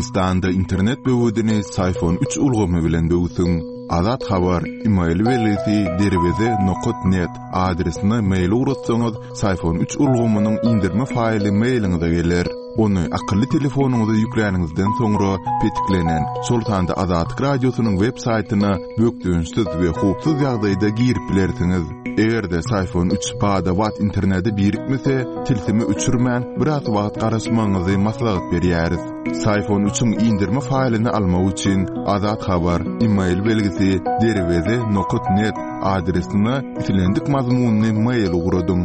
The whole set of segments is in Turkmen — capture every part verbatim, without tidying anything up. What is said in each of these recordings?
Türkmenistanda internet böwedini Syfon üç ulgamy bilen böwsüň. Azat Habar, email belgisi derweze nokat net adresine mail ugratsaňyz, Syfon üç ulgamynyň indirme faýly mailiňize geler. Ony akylly telefonyňyza ýükläniňizden soňra petiklenen, şol sanda Azatlyk Radiosynyň web saýtyna bökdençsiz we howpsuz ýagdaýda girip bilersiňiz. Eger-de Syfon üç bada-bat internete birikmese, tilsimi öçürmän biraz wagt garaşmagyňyzy maslahat berýäris. Syfon üçiň indirme faýlyny almak üçin Azat Habar, email belgisi derweze nokat net adresine islendik mazmunyny mail ugradyň.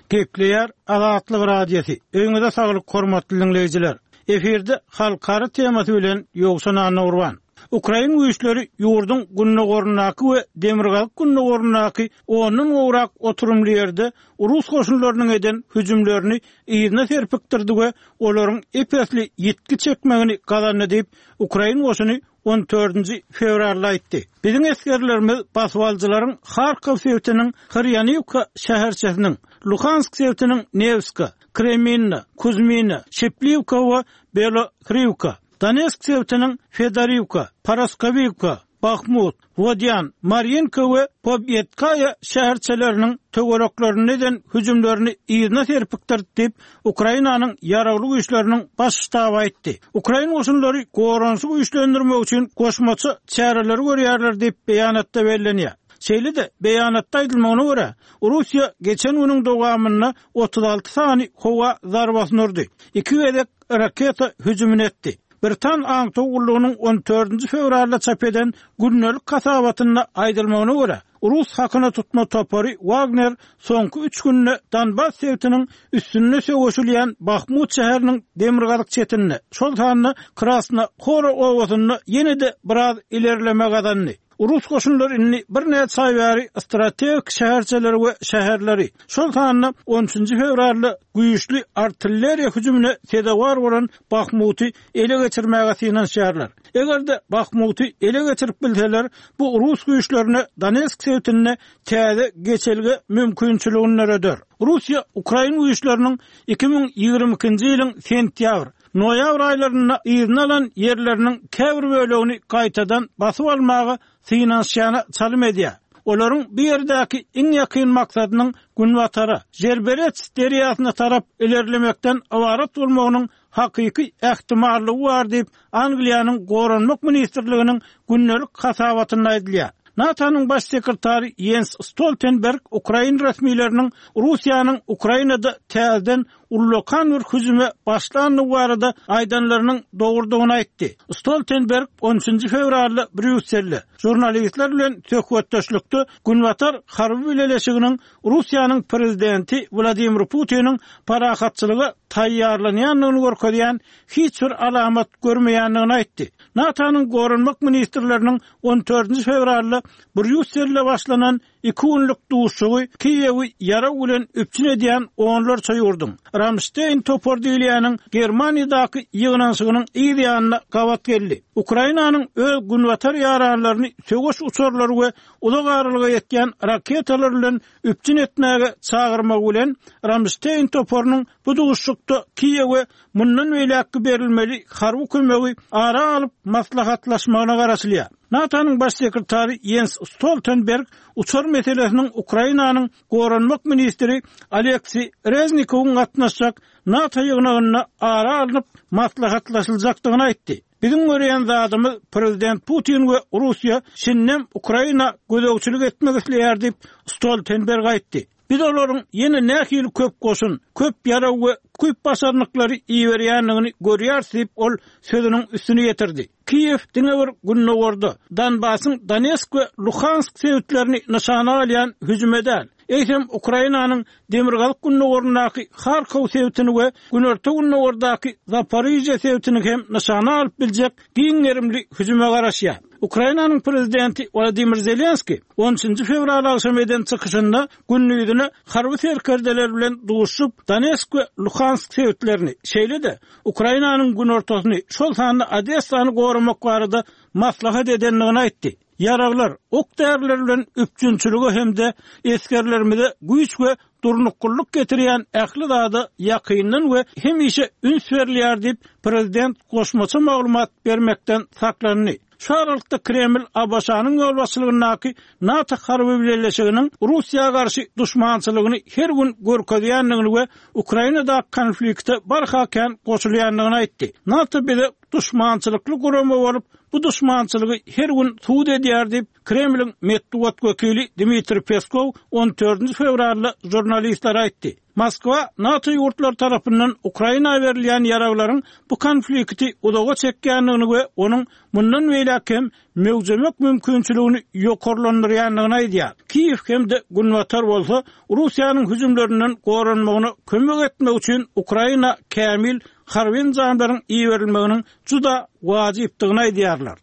Gepleýär Azatlyk Radiosy. Öýüňize saglyk hormatly dinleýjiler. Efirde halkara temasy bilen Ýowşan Annagurban. Ukrain güýçleri ýurduň gündogaryndaky we demirgazyk gündogaryndaky ondan gowrak oturymly ýerde Rus goşunlarynyň eden hüjümlerini yzyna serpikdirdi we olaryň epesli ýitgi çekmegini gazandy diýip Ukrain goşuny on dördünji fewralda aýtdy. Biziň esgerlerimiz baswaljylaryň Harkov sebitiniň Hyrýaniwka şäherçesiniň, Luhansk sebitiniň Nevska, Kreminna, Kuzmina, Şepliwka we Belohrivka, Donetsk sebitiniň Fedoriwka, Paraskowiwka, Bahmut, Wodyan, Marinka we Pobedkaýa şäherçeleriniň töwereklerine eden hüjümlerini yzyna serpikdirdi diýip Ukrainanyň ýaragly güýçleriniň baş ştaby aýtdy. Ukrain goşunlary goranyşy güýçlendirmek üçin goşmaça çäreleri görýärler diýip beýanatda bellenýär. Şeýle-de beýanatda aýdylmagyna görä, Russiýa geçen günüň dowamynda otuz alty sany howa zarbasyny urdy. Iki gezek raketa hüjümini etdi. Britan aňtaw gullugynyň on dördünji fewralda çap eden gündelik hasabatynda aýdylmagyna görä, Rus hakyna tutma topary Wagner soňky üç günde Donbass sebitiniň üstünde söweşilýän Bahmut şäheriniň demirgazyk çetinde, şol sanda Krasna Hora obasynda ýene-de biraz ilerleme gazandy. Rus goşunlary indi birnäçe aý bäri strategik şäherçeleri we şäherleri, şol sanda on üçünji fewralda güýçli artilleriýa hüjümine sezewar bolan Bahmuty ele geçirmäge synanyşýarlar. Eger-de Bahmuty ele geçirip bilseler, bu Rus güýçlerine Donetsk sebitinde täze geçelge mümkinçiligini döreder. Russiýa Ukrain güýçleriniň iki müň ýigrimi ikinji ýylyň sentýabr, noýabr aýlarynda yzyna alan ýerleriniň käbir bölegini gaýtadan basyp almaga synanyşýana çalym edýär. Olaryň bu ýerdäki iň ýakyn maksadynyň Günbatara, Jerberets derýasyna tarap ilerlemekden ybarat bolmagynyň hakyky ähtimallygy bar diýip Angliýanyň Goranmak ministrliginiň gündelik hasabatynda aýdylýar. NATO-nyň baş sekretary Jens Stoltenberg Ukrain resmileriniň Russiýanyň Ukrainada täzeden ullakan bir hüjüme başlandygy barada aýdanlarynyň dogrudygyny aýtdy. Stoltenberg on üçünji fewralda Brýusselde žurnalistler bilen söhbetdeşlikde Günbatar harby bileleşiginiň Russiýanyň prezidenti Wladimir Putiniň parahatçylyga taýýarlanýandygyny görkezýän hiç bir alamat görmeýändigini aýtdy. NATO-nyň Goranmak ministrleriniň on dördünji fewralda Brýusselde başlanan iki günlük duşuşygy Kiýewi ýarag bilen üpjün edýän onlarça ýurduň Ramstein topar diýilýäniň Germaniýadaky ýygnanyşygynyň yz ýanyna gabat geldi. Ukrainanyň öz günbatar ýaranlaryny söweş uçarlary we uzak aralyga ýetýän raketalar bilen üpjün etmäge çagyrmak bilen Ramstein toparynyň bu duşuşykda Kiýewe mundan beýläkki berilmeli harby kömegi ara alyp maslahatlaşmagyna garaşylýar. NATO-nyň baş sekretary Jens Stoltenberg uçar meselesiniň Ukrainanyň Goranmak ministri Aleksiý Reznikowyň gatnaşjak NATO ýygnagynda ara alnyp maslahatlaşyljakdygyny aýtdy. Biziň görýän zadymyz prezident Putin we Russiýa şindem Ukraina gözegçilik etmek isleýär diýip Stoltenberg aýtdy. Biz olaryň ýene nähili köp goşun, köp ýarag we köp başarnyklary iberýändigini görýäris diýip ol sözüniň üstüni getirdi. Kiýew diňe bir gündogarda Donbasyň Donetsk we Luhansk sebitlerini nyşana alýan hüjüme däl, eýsem Ukrainanyň demirgazyk gündogaryndaky Harkov sebitini we günorta gündogardaky Zaporižýa sebitini hem nyşana alyp biljek giň gerimli hüjüme garaşýar. Ukrainanyň prezidenti Wladimir Zelenski on üçünji fewral agşam eden çykyşynda gündiziне harby serkerdeler bilen duşup Donetsk we Luhansk sebitlerini, şeýle-de Ukrainanyň günortasyny, şol sanda Odessany goramak barada maslahat edendigini aýtdy. Ýaraglar, ok-däriler bilen üpjünçiligi hem-de esgerlerimize güýç we durnuklylyk getirýän ähli zada ýakyndan we hemişe üns berilýär diýip, prezident goşmaça maglumat bermekden saklandy. Şu aralykda Kreml ABŞ-nyň ýolbaşçylygyndaky NATO harby bileleşiginiň Russiýa garşy duşmançylygyny her gün görkezýändigini we Ukrainadaky konflikte barha kän goşulýandygyny aýtdy. NATO bize duşmançylykly gurama bolup, bu duşmançylygy her gün subut edýär diýip, Kremliň metbugat wekili Dmitriý Peskow on dördünji fewralda žurnalistlere aýtdy. Moskwa NATO ýurtlary tarapyndan Ukraina berilýän ýaraglaryň bu konflikti uzaga çekýändigini we onuň mundan beýläk hem möwjemek mümkinçiligini ýokarlandyrýandygyny aýdýar. Kiýew hem-de Günbatar bolsa Russiýanyň hüjümlerinden goranmagyna kömek etmek üçin Ukraina kämil harby enjamlaryň iberilmeginiň juda wajypdygyny aýdýarlar.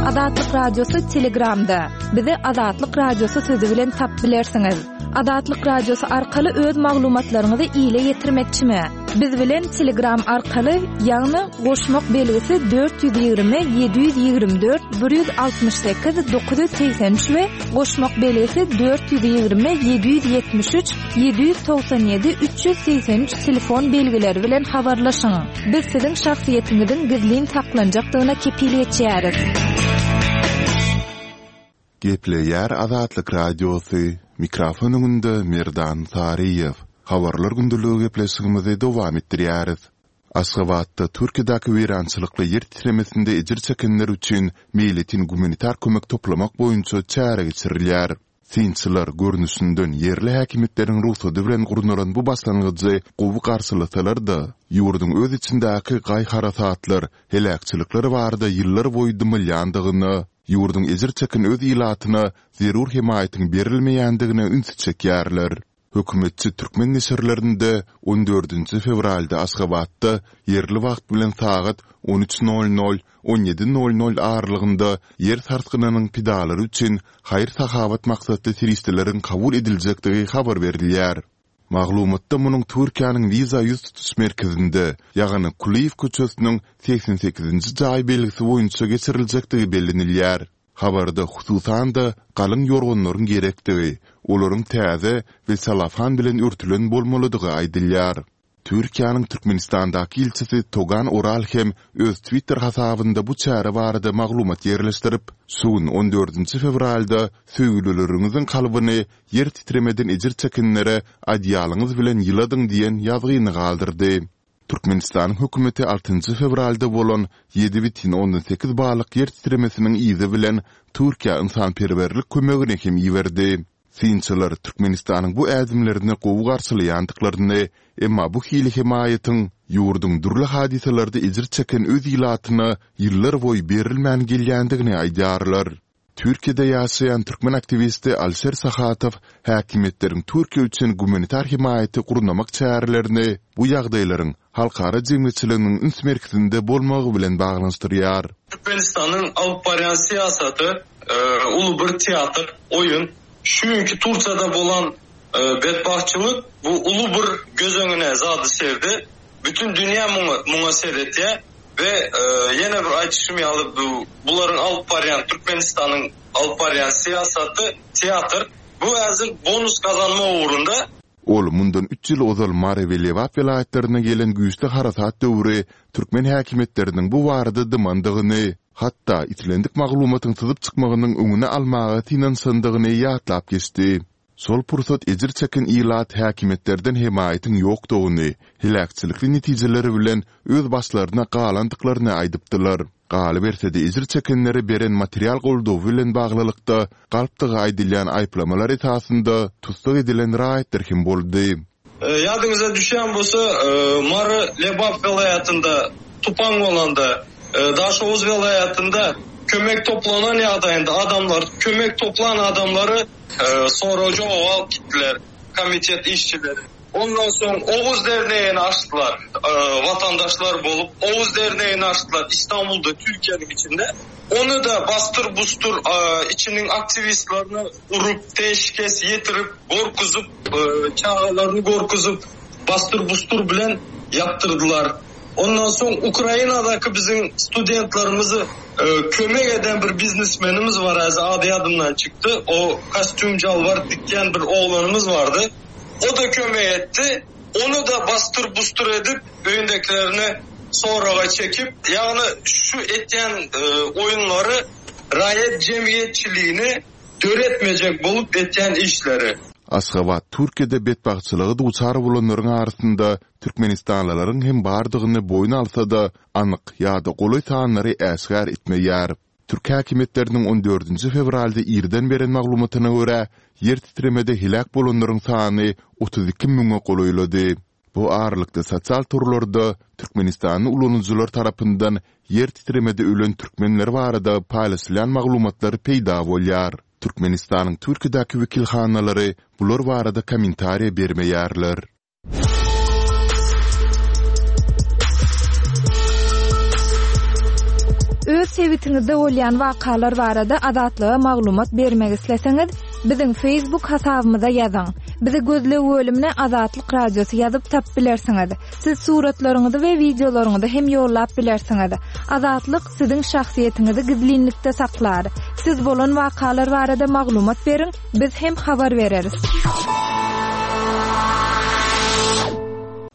Azatlyk Radiosy Telegramda. Bizi Azatlyk Radiosy sözi bilen tap bilersiňiz. Azatlyk Radiosy arkaly öz maglumatlaryňyzy ile ýetirmekçimi? Biz bilen Telegram arkaly, ýagny goşmak belgisi dört ýüz ýigrimi ýedi ýüz ýigrimi dört bir ýüz altmyş sekiz dokuz ýüz segsen üç we goşmak belgisi dört ýüz ýigrimi ýedi ýüz ýetmiş üç ýedi ýüz togsan ýedi üç ýüz segsen üç telefon belgileri bilen habarlaşyň. Biz siziň şahsyýetiňiziň gizlin saklanjakdygyna kepil geçýäris. Gepleýär Azatlyk Radiosy, mikrofon öňünde Merdan Saryýew. Habarlar gündeligi gepleşigimizi dowam etdirýäris. Aşgabatda Türkiýedäki weýrançylykly ýer titremesinde ejir çekenler üçin meýletin gumanitar kömek toplamak boýunça çäre geçirilýär. Synçylar görnüşinden ýerli häkimiýetleriň rugsady bilen gurnalan bu başlangyjy gowy garşylasalar-da, ýurduň öz içindäki gaý-harasatlar, heläkçilikler barada ýyllar boýy dymylýandygyna, ýurduň ejir çeken öz ilatyna zerur hemaýatyň berilmeýändigine ünsi çekýärler. Hökümetçi türkmen neşirlerinde on dördünji fewralda Aşgabatda ýerli wagt bilen sagat on üç nol nol, on ýedi nol nol aralygynda ýer sarsgynynyň pidalary üçin haýyr-sahawat maksatly serişdeleriň kabul ediljekdigi habar berilýär. Maglumatda munuň Türkiýäniň wiza ýüz tutuş merkezinde, ýagny Kulyýew köçesiniň segsen sekizinji jaý belgisi boýunça geçiriljekdigi bellenilýär. Habarda hususan-da galyň ýorganlaryň gerekdigi, olaryň täze we salafan bilen örtülen bolmalydygy aýdylýar. Türkiýäniň Türkmenistandaky ilçisi Togan Oral hem öz Twitter hasabynda bu çäre barada maglumat ýerleşdirip, şu gün on dördünji fewralda söýgülileriňiziň kalbyny ýer titremeden ejir çekenlere adyýalyňyz bilen ýyladyň diýen ýazgyny galdyrdy. Türkmenistanyň hökümeti altynjy fewralda bolan ýedi bütin ondan sekiz ballyk ýer titremesiniň yzy bilen Türkiýä ynsanperwerlik kömegini hem iberdi. Synçylar Türkmenistanyň bu ädimlerini gowy garşylaýandyklaryny, emma bu hili hemaýatyň ýurduň dürli hadysalarda ejir çeken öz ilatyna ýyllar boýy berilmän gelýändigini aýdýarlar. Türkiýede ýaşaýan türkmen aktiwisti Alişer Sahatow häkimiýetleriň Türkiýe üçin gumanitar hemaýaty gurnamak çärelerini bu ýagdaýlaryň halkara jemgyýetçiliginiň üns merkezinde bolmagy bilen baglanyşdyrýar. Türkmenistanyň alyp barýan syýasaty, e, uly bir teatr, oýun. Çünki Türkiýede bolan, e, bedbahtçylyk bu uly bir göz öňüne zady serdi. Bütün dünýä muňa, muňa seretýär we, e, ýene bir aýdyşym ýaly bu bularyň alyp barýan Türkmenistanyň alyp barýan syýasaty teatr. Bu häzir bonus gazanma ugrunda. Ol mundan üç ýyl ozal Mary we Lebap welaýatlaryna gelen güýçli harasat döwri türkmen häkimiýetleriniň bu barada dymandygyny, hatda islendik maglumatyň syzyp çykmagynyň öňüni almaga synanyşandygyny ýatlap geçdi. Şol pursat ejir çeken ilat häkimiýetlerden hemaýatyň ýokdugyny, heläkçilikli netijeleri bilen öz başlaryna galandyklaryny aýdypdylar. Galyberse-de ejir çekenlere beren material goldawy bilen baglylykda galpdygy aýdylýan aýyplamalar esasynda tussag edilen raýatlar hem boldy. E, ýadyňyza düşýän bolsa, e, Mary Lebap welaýatynda tupan bolanda, e, Daşoguz welaýatynda kömek toplanan ýagdaýynda adamlar, kömek toplan adamlary, e, soraja alyp gitdiler komitet işçileri. Ondan soň Oguz derneğini açdylar, e, vatandaşlar bolup Oguz derneğini açdylar İstanbul'da, Türkiye'nin içinde. Onu da bastır bustur, e, içinin aktivistlerini urup, teşkes yetirip, gorkuzup, e, çağalarını gorkuzup, bastır bustur bilen yaptırdılar. Ondan soň Ukrainadaki bizim studentlerimizi, Kömek eden bir biznesmenimiz bar, häzir ady ýadymdan çykdy. O kostýum jalbar dikýän bir oglanymyz bardy. O-da kömek etdi. Ony-da basdyr-busdur edip, öýündekilerini soraga çekip, ýagny şu etýän oýunlary raýat jemgyýetçiligini döretmejek bolup etýän işleri. Aşgabat Türkiýede betbagtçylyga duçar bolanlaryň arasynda türkmenistanlylaryň hem bardygyny boýun alsa-da, anyk ýa-da golaý sanlary äşgär etmeýär. Türk häkimiýetleriniň on dördünji fewralda irden beren maglumatyna görä, ýer titremede heläk bolanlaryň sany otuz iki müňe golaýlady. Bu aralykda sosial torlarda türkmenistanly ulanyjylar tarapyndan ýer titremede ölen türkmenler barada paýlaşylýan maglumatlar peýda bolýar. Türkmenistanyň Türkiýedäki wekilhanalary bular barada kommentariýa bermeýärler. Öz sebitiňizde bolýan wakalar barada Azatlyga maglumat bermek isleseňiz, biziň Facebook hasabymyza ýazyň. Bizi gözleg bölümine Azatlyk Radiosy ýazyp tapyp bilersiňiz. Siz suratlaryňyzy we wideolaryňyzy hem ýollap bilersiňiz. Azatlyk siziň şahsyýetiňizi gizlinlikde saklar. Siz bolan wakalar barada maglumat beriň, biz hem habar bereris.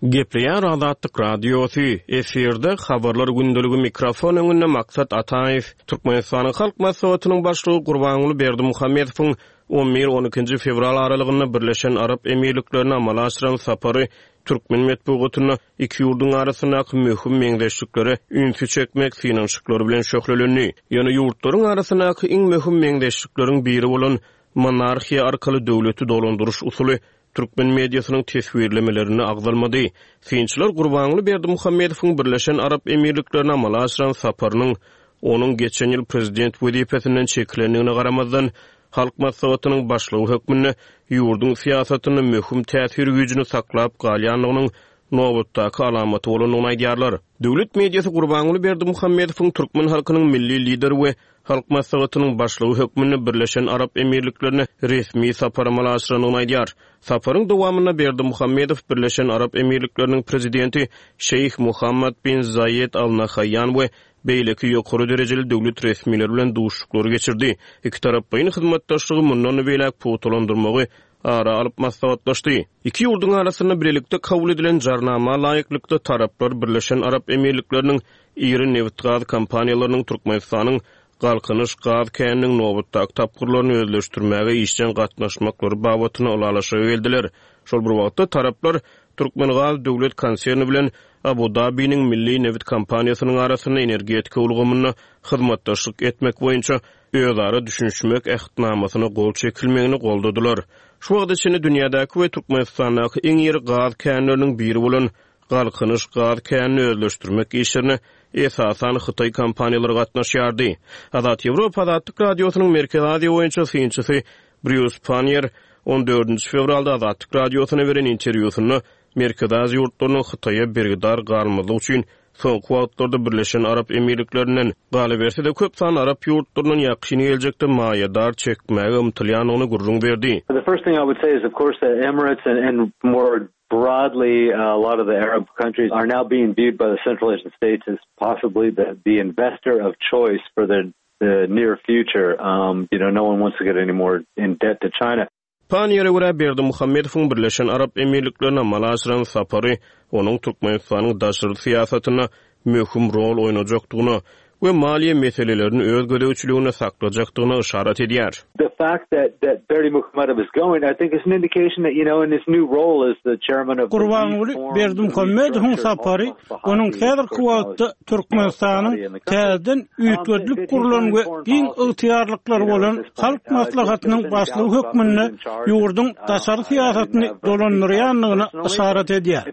Gepleýär Azatlyk Radiosy, efirde habarlar gündeligi mikrofon öňünde Maksat Ataýew, Türkmenistanyň Halk Maslahatynyň başlygy Gurbanguly Berdimuhamedowyň on bir on ikinji fewral aralygynda Birleşen Arap Emirliklerine amala aşyran sapary türkmen metbugatynda iki ýurduň arasyndaky möhüm meňzeşliklere ünsi çekmek synanyşyklary bilen şöhlelendi. Ýöne ýurtlaryň arasyndaky iň möhüm meňzeşlikleriň biri bolan monarhiýa arkaly döwleti dolandyryş usuly türkmen mediasynyň teswirlemelerini agzalmady. Synçylar Gurbanguly Berdimuhamedowyň Birleşen Arap Emirliklerine amala aşyran saparynyň onuň geçen ýyl prezident wezipesinden çekilendigine garamazdan Halk Maslahatynyň başlygy hökmünde ýurduň syýasatyny möhüm täsir güýjüni saklap galýandygynyň nobatdaky alamaty bolandygyny aýdýarlar. Döwlet mediasy Gurbanguly Berdimuhamedowyň türkmen halkynyň milli lideri we Halk Maslahatynyň başlygy hökmünde Birleşen Arap Emirliklerine resmi sapar amala aşyrandygyny aýdýar. Saparyň dowamynda Berdimuhamedow Birleşen Arap Emirlikleriniň prezidenti Şeýh Muhammad bin Zaýed Al Nahaýan we beýleki ýokary derejeli döwlet resmileri bilen duşuşyklary geçirdi. Iki taraplaýyn hyzmatdaşlygy mundan beýläk pugtalandyrmagy ara alyp maslahatlaşdy. Iki ýurduň arasynda birlikde kabul edilen jarnama laýyklykda taraplar Birleşen Arap Emirlikleriniň iri nebit-gaz kompaniýalarynyň Türkmenistanyň Galkynyş gaz käniniň nobatdaky tapgyrlaryny özleşdirmäge işjeň gatnaşmaklary babatynda ylalaşyga geldiler. Şol bir wagtda taraplar Türkmengaz döwlet konserni bilen Abu Dabiniň milli nebit kompaniýasynyň arasynda energetika ulgamynda hyzmatdaşlyk etmek boýunça özara düşünişmek ähtnamasyna gol çekilmegini goldadylar. Şu wagta çenli dünýädäki we Türkmenistandaky iň iri gaz känleriniň biri bolan Galkynyş gaz känini özleşdirmek işlerine esasan Hytaý kompaniýalary gatnaşýardy. Azat Ýewropa Azatlyk Radiosynyň Merkezi Aziýa boýunça synçysy Brýus Pannier on dördünji fewralda Azatlyk Radiosyna beren interwýusynda Merkezi Aziýa ýurtlarynyň Hytaýa bergidar galmazlyk üçin soňky wagtlarda Birleşen Arap Emirliklerinden galyberse-de köp sanly Arap ýurtlaryndan ýakyn geljekde maýadar çekmäge ymtylýandygyny gürrüň berdi. The first thing I would say is of course the Emirates and, and more broadly uh, a lot of the Arab countries are now being viewed by the Central Asian states as possibly the, the investor of choice for the, the near future. Um, you know, no one wants to get any more in debt to China. Panniýere görä Berdimuhamedowyň Birleşen Arap Emirliklerine amala aşyran sapary onuň Türkmenistanyň daşary syýasatynda möhüm rol oýnajakdygyna we maliýe meselelerini öz gözegçiliginde saklajakdygyna yşarat edýär. The fact that that Berdimuhamedow is going, I think is an indication that, you know, in his new role as the chairman of the Gurbanguly Berdimuhamedowyň sapary onuň häzirki wagtda Türkmenistanyň täzeden üýtgedilip gurlan we giň ygtyýarlyklary bolan Halk Maslahatynyň başlygy hökmünde ýurduň daşary syýasatyny dolandyrýandygyna yşarat edýär.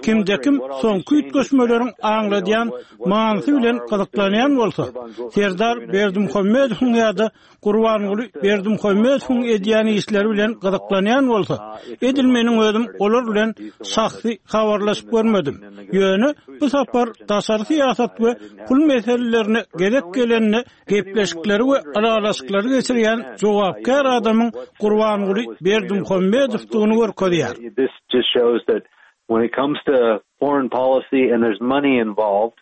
Kimde-kim soňky üýtgeşmeleriň aňladýan manysy bilen gyzyklanýan bolsa, Serdar Berdimuhamedowyň ýa-da Gurbanguly Berdimuhamedowyň edýän işleri bilen gyzyklanýan bolsa, edil meniň özüm olar bilen şahsy habarlaşyp görmedim. Ýöne bu sapar daşary syýasat we pul meselelerine gezek gelende gepleşikleri we ylalaşyklary geçirýän jogapkär adamyň Gurbanguly Berdimuhamedowdygyny görkezýär. This just shows that when it comes to foreign policy and there's money involved,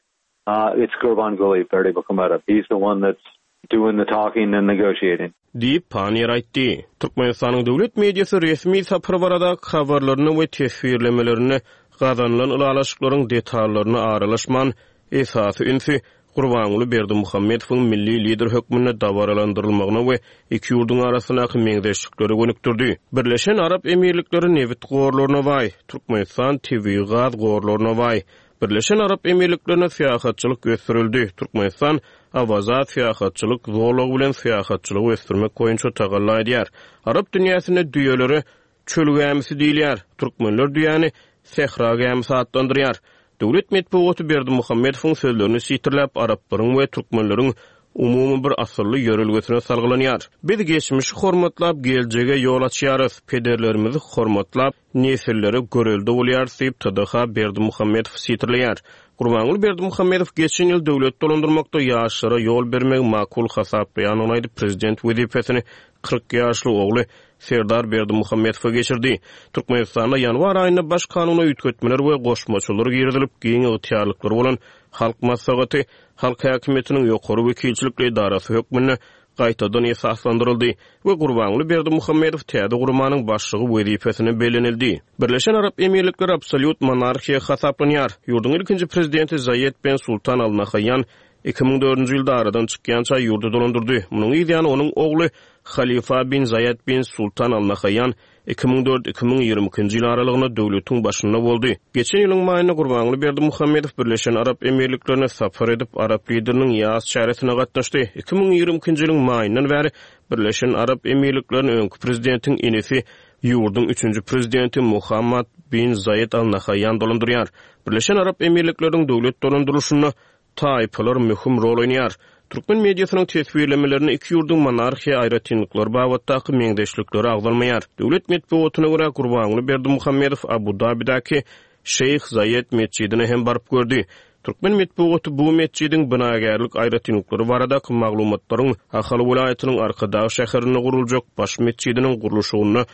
Uh, it's Gurbanguly Berdymukhamedov. He's the one that's doing the talking and negotiating. Diýip, Panniýer aýtdy. Türkmenistanyň döwlet mediasy resmi sapar baradaky habarlaryny we teswirlemelerini gazanylan ylalaşyklaryň detallaryna aralaşman, esasy ünsi Gurbanguly Berdimuhamedowyň milli lider hökmünde dabaralandyrylmagyna we iki ýurduň arasyndaky meňzeşliklere gönükdirdi. Birleşen Arap Emirlikleri nebit gorlaryna baý, Türkmenistan tebigy gaz gorlaryna baý. Birleşen Arap Emirliklerinde syýahatçylyk ösdürildi. Türkmenistan Awaza syýahatçylyk zolagy bilen syýahatçylygy ösdürmek boýunça tagalla edýär. Arap dünýäsinde düýelere çöl gämisi diýilýär. Türkmenler düýäni sähra gämisi atlandyrýar. Döwlet metbugaty Berdimuhamedowyň sözlerini sitirläp, araplaryň we türkmenleriň umumy bir asylly ýörelgesine salgylanýar. Biz geçmişi hormatlap, geljege ýol açýarys, pederlerimizi hormatlap, nesillere görelde bolýarys diýip, T D H Berdimuhamedow sitirleýär. Gurbanguly Berdimuhamedow geçen ýyl döwlet dolandyrmakda ýaşlara ýol bermegi makul hasaplaýandygyny aýdyp, prezident wezipesini kyrk ýaşly ogly Serdar Berdimuhamedowa geçirdi. Türkmenistanda ýanwar aýynda baş kanuna üýtgetmeler we goşmaçalar girizilip, giň ygtyýarlyklary bolan Halk Maslahaty halk häkimiýetiniň ýokary wekilçilikli edarasy hökmünde gaýtadan esaslandyryldy we Gurbanguly Berdimuhamedow täze guramanyň başlygy wezipesine bellenildi. Birleşen Arap Emirlikleri absolýut monarhiýa hasaplanýar. Ýurduň ilkinji prezidenti Zaýed ben Sultan Al Nahaýan iki müň dördünji ýylda aradan çykýança ýurdy dolandyrdy. Munuň ýany onuň ogly Halifa bin Zaýed bin Sultan Al Nahaýan iki müň dört iki müň ýigrimi ikinji ýyl aralygynda döwletiň başynda boldy. Geçen ýylyň maýynda Gurbanguly Berdimuhamedow Birleşen Arap Emirliklerine sapar edip, Arap lideriniň ýas çäresine gatnaşdy. Iki müň ýigrimi ikinji ýylyň maýyndan bäri Birleşen Arap Emirlikleriniň öňki prezidentiň inisi, ýurduň üçünji prezidenti Muhammad bin Zaýed Al Nahaýan dolandyrýar. Birleşen Arap Emirlikleriniň döwlet dolandyrylyşynda taýpalar möhüm rol oýnaýar. Türkmen mediasynyň teswirlemelerini iki ýurduň monarhiýa aýratynlyklary babatdaky meňzeşlikleri agzalmaýar. Döwlet metbugatyna görä Gurbanguly Berdimuhamedow Abu Dabidäki Şeýh Zaýed metjidine hem baryp gördi. Türkmen metbugaty bu metjidiň binagärlik aýratynlyklary baradaky maglumatlaryň Ahal welaýatynyň Arkadag şäherinde guruljak baş metjidiniň gurluşygynda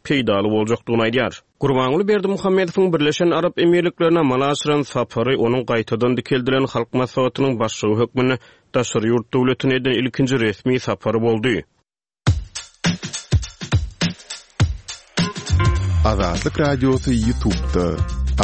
peýdaly boljakdygyny aýdýar. Gurbanguly Berdimuhamedowyň Birleşen Arap Emirliklerine amala aşyran sapary onuň gaýtadan dikeldilen Halk Maslahatynyň başlygy hökmünde daşary ýurt döwletine eden ilkinji resmi sapary boldy. Azatlyk Radiosy YouTube'da.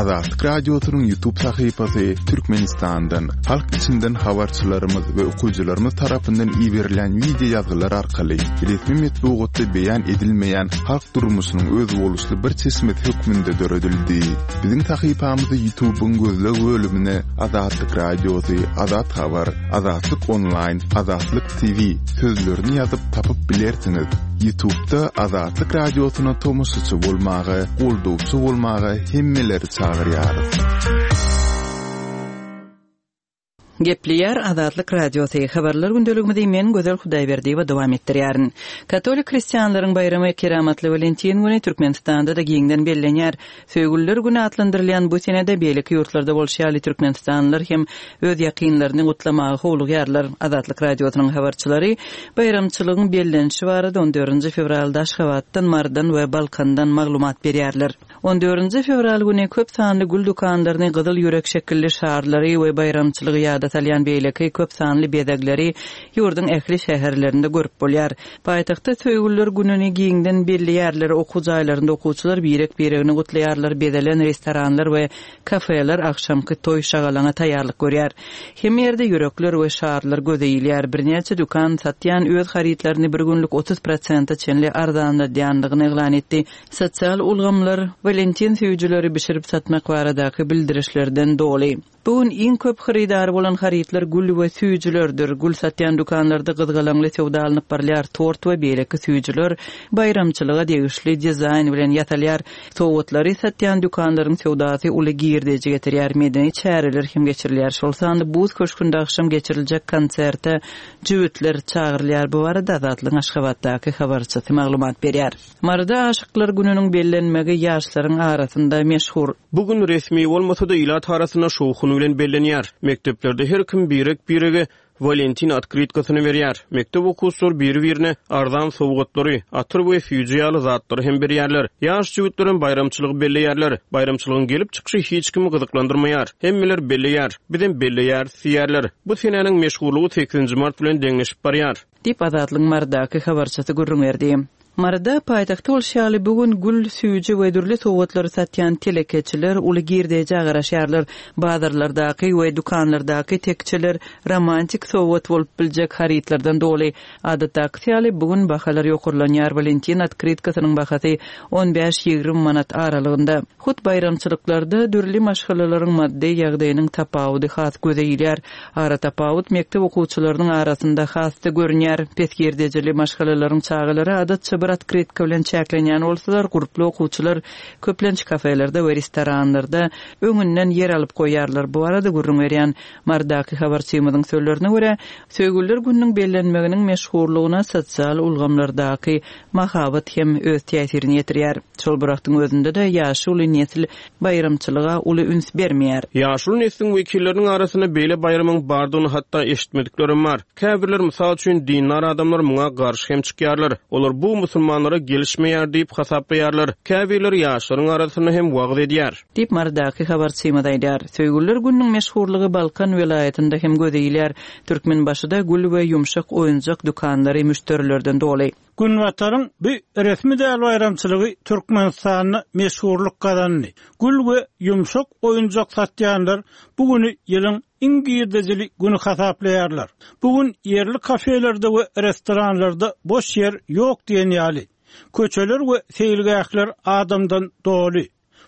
Azatlyk Radiosynyň YouTube sahypasy Türkmenistandan, halk içinden habarçylarymyz we okyjylarymyz tarapyndan iberilen wideo ýazgylar arkaly resmi metbugatda beýan edilmeýän halk durmuşynyň özboluşly bir çeşmesi hökmünde döredildi. Biziň sahypamyzy YouTube'yň gözleg bölümine Azatlyk Radiosy, Azat Habar, Azatlyk Online, Azatlyk T V sözlerini ýazyp tapyp bilersiňiz. YouTube'da Azatlyk Radiosyna tomaşaçy bolmaga, goldawçy bolmaga hemmeleri çagyrýarys. Gepleýär Azatlyk Radiosy. Habarlar gündeligimizi men Gözel Hudaýberdiýewa dowam etdirýärin. Katolik hristianlaryň baýramy Keramatly Walentin güni Türkmenistanda da giňden bellenýär. Söýgüliler güni atlandyrylýan bu senede beýleki ýurtlarda bolşy ýaly türkmenistanlylar hem öz ýakynlaryny gutlamaga howlugýarlar. Azatlyk Radiosynyň habarçylary baýramçylygyň bellenişi barada on dördünji fewralda Aşgabatdan, Mardan we Balkandan maglumat berýärler. On dördünji fewral güni köp sanly gül dükanlaryny gyzyl ýürek şekilli şarlary we baýramçylygy ýada salýan beýleki köp sanly bezegleri ýurduň ähli şäherlerinde görüp bolýar. Paýtagtda söýgüliler gününi giňden belleýärler, okuw jaýlarynda okuwçylar birek-biregini gutlaýarlar, bezelen restoranlar we kafeler akşamky toý şagalaňa taýýarlyk görýär. Hem ýerde ýürekler we şarlar göze ilýär. Birnäçe dükan satýan öz harytlaryny bir günlük otuz prosente çenli arzanladýandygyny yglan etdi. Sosial ulgamlar Valentin söýüjileri bişirip satmak baradaky bildirişlerden doly. Bu gün iň köp hyrydary bolan harytlar gül we süýjülerdir. Gül satýan dükanlarda gyzgalaňly söwda alnyp barylýar. Tort we beýleki süýjüler baýramçylyga degişli dizaýn bilen ýasalýar. Sowgatlary satýan dükanlaryň söwdasy uly girdeji getirýär. Medeni çäreler hem geçirilýär. Şol sanda buz köşgünde akşam geçiriljek konserte jübütler çagyrylýar. Bu barada Azatlygyň Aşgabatdaky habarçysy maglumat berýär. Maryda aşyklar gününiň bellenmegi ýaşlaryň arasynda meşhur. Bugün resmi bolmasa da ilat arasynda şowhun bilen bellenýär. Mekteplerde her kim birek birege Walentin otkrytkasyny berýär. Mekdep okuwçylary biri-birine arzan sowgatlary, atyr we süýji ýaly zatlary hem berýärler. Ýaş jübütler baýramçylygy belleýärler. Baýramçylygyň gelip çykyşy hiç kimi gyzyklandyrmaýar. Hemmeler belleýär. Bizem belleýär, diýýärler. Bu senäniň meşhurlygy sekizinji mart bilen deňleşip barýar. Diýip Azatlygyň Marydaky habarçysy gürrüň berdi. Maryda paýtagtda bolşy ýaly bu gün gül, süýji we dürli sowgatlary satýan telekeçiler uly girdejä garaşýarlar. Bazarlardaky we dükanlardaky tekçeler romantik sowgat bolup biljek harytlardan doly. Adatdaky ýaly bu gün bahalar ýokarlanýar. Walentin otkrytkasynyň bahasy on bäş ýigrimi manat aralygynda. Hut baýramçylyklarda dürli maşgalalaryň maddy ýagdaýynyň tapawudy has göze ilýär. Ara tapawut mekdep okuwçylarynyň arasynda has-da görünýär. Pes girdejili maşgalalaryň çagalary adatça bir otkrytka bilen çäklenýän bolsalar, gurply okuwçylar köplenç kafelerde we restoranlarda öňünden ýer alyp goýarlar. Bu arada gürrüň berýän Marydaky habarçymyzyň sözlerine görä, Söýgüliler gününiň bellenmeginiň meşhurlygyna sosial ulgamlardaky mahabat hem öz täsirini ýetirýär. Şol bir wagtyň özünde-de ýaşuly nesil baýramçylyga uly üns bermeýär. Ýaşuly nesliň wekilleriniň arasynda beýle baýramyň bardygyny hatda eşitmediklerim bar. Käbirler mysal üçin dindar adamlar muňa garşy hem çykýarlar. Olar bu musulmanlara gelişmeýär diýip hasaplaýarlar. Käbirleri ýaşlaryň arasynda hem wagyz edýär. Diýip Marydaky habarçymyz aýdar. Söýgüliler gününiň meşhurlygy Balkan welaýatynda hem göze ilýär. Türkmenbaşyda gül we ýumşak oýunjak dükanlary müşderilerden doly. Günbataryň bu resmi däl baýramçylygy Türkmenistanda meşhurlyk gazandy. Gül we ýumşak oýunjak satýanlar bu günü ýylyň iň girdejili günü hasaplaýarlar. Bu gün ýerli kafelerde we restoranlarda boş ýer ýok diýen ýaly. Köçeler we seýilgähler adamdan doly.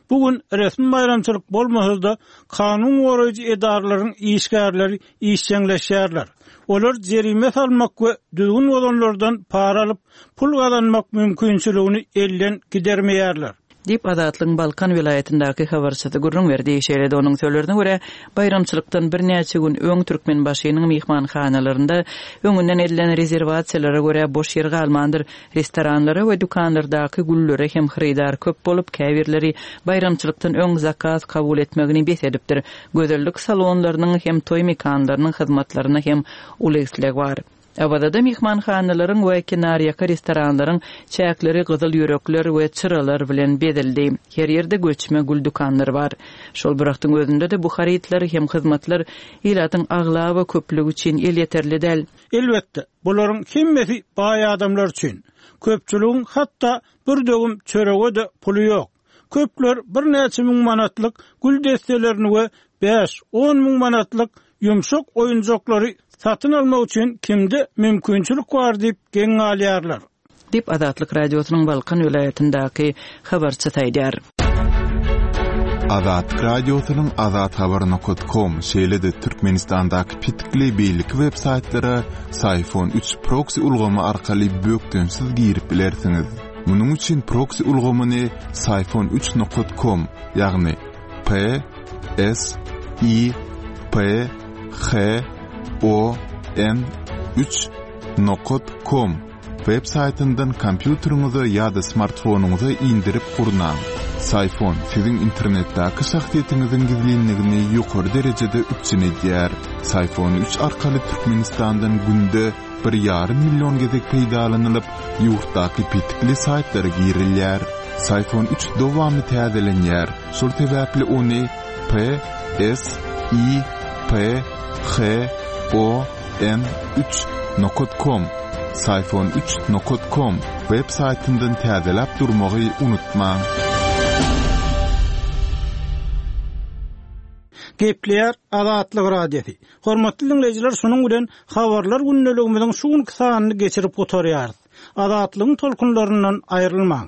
Bu gün resmi baýramçylyk bolmasa-da kanun goraýjy edaralaryň işgärleri işjeňleşýärler. Olar jerime salmak we düzgün bozanlardan para alyp pul gazanmak mümkinçiligini elden gidermeýärler. Diýip Azatlygyň Balkan welaýatyndaky habarçysy gürrüň berdi. Şeýle-de onuň sözlerine görä, baýramçylykdan birnäçe gün öň Türkmenbaşynyň myhmanhanalarynda öňünden edilen rezerwasiýalara görä boş ýer galmandyr. Restoranlara we dükanlardaky güllere hem hyrydar köp bolup, käbirleri baýramçylykdan öň zakaz kabul etmegini bes edipdir. Gözellik salonlarynyň hem toý mekanlarynyň hyzmatlaryna hem uly isleg bar. Awazada myhmanhanalaryň we kenarýaka restoranlaryň çäkleri gyzyl ýürekler we çyralar bilen bezeldi. Her ýerde göçme gül dükanlary bar. Şol bir wagtyň özünde-de bu harytlar hem hyzmatlar ilatyň aglaba köplügi üçin elýeterli däl. Elbetde, bularyň hemmesi baý adamlar üçin. Köpçüligiň hatda bir döwüm çörege-de puly ýok. Köpler birnäçe müň manatlyk gül desselerini we bäş on müň manatlyk ýumşak oýunjaklary satyn almak üçin kimde mümkinçilik bar diýip geň galýarlar. Diýip Azatlyk Radiosynyň Balkan welaýatyndaky habarçysy aýdar. Azatlyk Radiosynyň azathabar nokta com şeýle-de Türkmenistandaky petikli beýleki web saýtlara Syfon üç proxy ulgamy arkaly bökdençsiz girip bilersiňiz. Munuň üçin proxy ulgamyny Syfon üç nokta com, ýagny P S I P H O N üç nokta com web saýtyndan kompýuteriňize ýa-da smartfonyňyza indirip gurnaň. Syfon siziň internetdäki şahsyýetiňiziň gizlinligini ýokary derejede üpjün edýär. Syfon üç arkaly Türkmenistandan günde bir ýarym million gezek peýdalanylyp, ýurtdaky petikli saýtlara girilýär. Syfon üç dowamly täzelenýär. Şol sebäpli ony P S I P H O N üç nokta com Syfon üç nokta com web saýtyndan täzeläp durmagy unutmaň. Gepleýär Azatlyk Radiosy. Hormatly dinleýjiler, şunuň bilen habarlar gündeligimiziň şu günki sanyny geçirip gutarýarys. Azatlygyň tolkunlaryndan aýrylmaň.